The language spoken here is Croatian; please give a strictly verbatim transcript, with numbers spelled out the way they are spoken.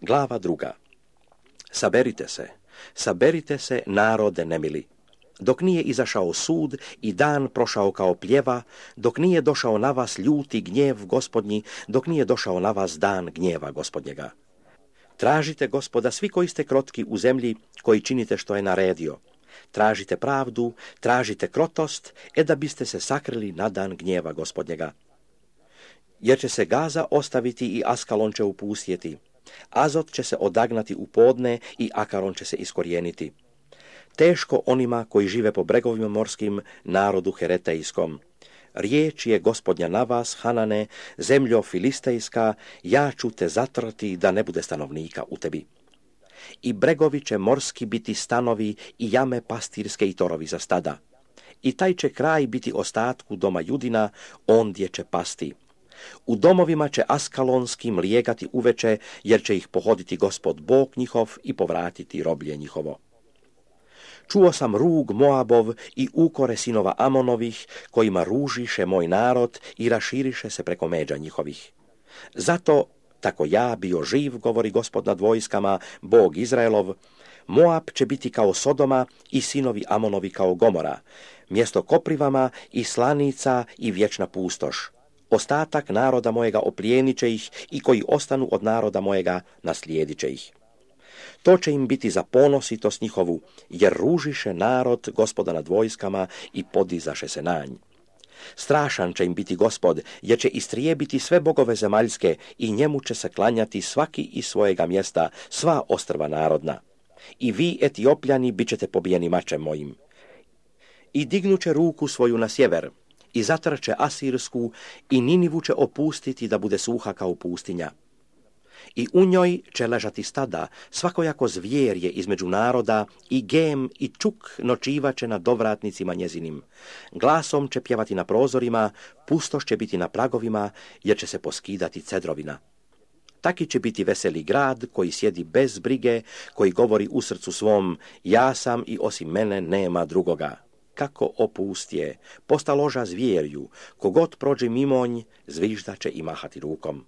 Glava druga. Saberite se, saberite se, narode nemili. Dok nije izašao sud i dan prošao kao pljeva, dok nije došao na vas ljuti gnjev gospodnji, dok nije došao na vas dan gnjeva gospodnjega. Tražite Gospoda svi koji ste krotki u zemlji, koji činite što je naredio. Tražite pravdu, tražite krotost, e da biste se sakrili na dan gnjeva gospodnjega. Jer će se Gaza ostaviti i Askalon će upustjeti. Azot će se odagnati u podne i Akaron će se iskorijeniti. Teško onima koji žive po bregovima morskim, narodu heretejskom. Riječ je gospodnja na vas, Hanane, zemljo filistejska, ja ću te zatrti da ne bude stanovnika u tebi. I bregovi će morski biti stanovi i jame pastirske i torovi za stada. I taj će kraj biti ostatku doma Judina, ondje će pasti. U domovima će askalonskim lijegati uveče, jer će ih pohoditi Gospod Bog njihov i povratiti roblje njihovo. Čuo sam rug Moabov i ukore sinova Amonovih, kojima ružiše moj narod i raširiše se preko međa njihovih. Zato, tako ja bio živ, govori Gospod nad vojskama, Bog Izraelov, Moab će biti kao Sodoma i sinovi Amonovi kao Gomora, mjesto koprivama i slanica i vječna pustoš. Ostatak naroda mojega oplijenit će ih i koji ostanu od naroda mojega naslijedit će ih. To će im biti za ponositost njihovu, jer ružiše narod Gospoda nad vojskama i podizaše se na nj. Strašan će im biti Gospod, jer će istrijebiti sve bogove zemaljske i njemu će se klanjati svaki iz svojega mjesta, sva ostrva narodna. I vi, Etiopljani, bit ćete pobijeni mačem mojim. I dignuće ruku svoju na sjever, i zatrče Asirsku, i Ninivu će opustiti da bude suha kao pustinja. I u njoj će ležati stada, svakojako zvjerje između naroda, i gem i čuk nočivaće na dovratnicima njezinim. Glasom će pjevati na prozorima, pustoš će biti na pragovima, jer će se poskidati cedrovina. Taki će biti veseli grad koji sjedi bez brige, koji govori u srcu svom, ja sam i osim mene nema drugoga. Kako opustje, postaloža zvjerju, kogod prođe mimonj, zvižda će i mahati rukom.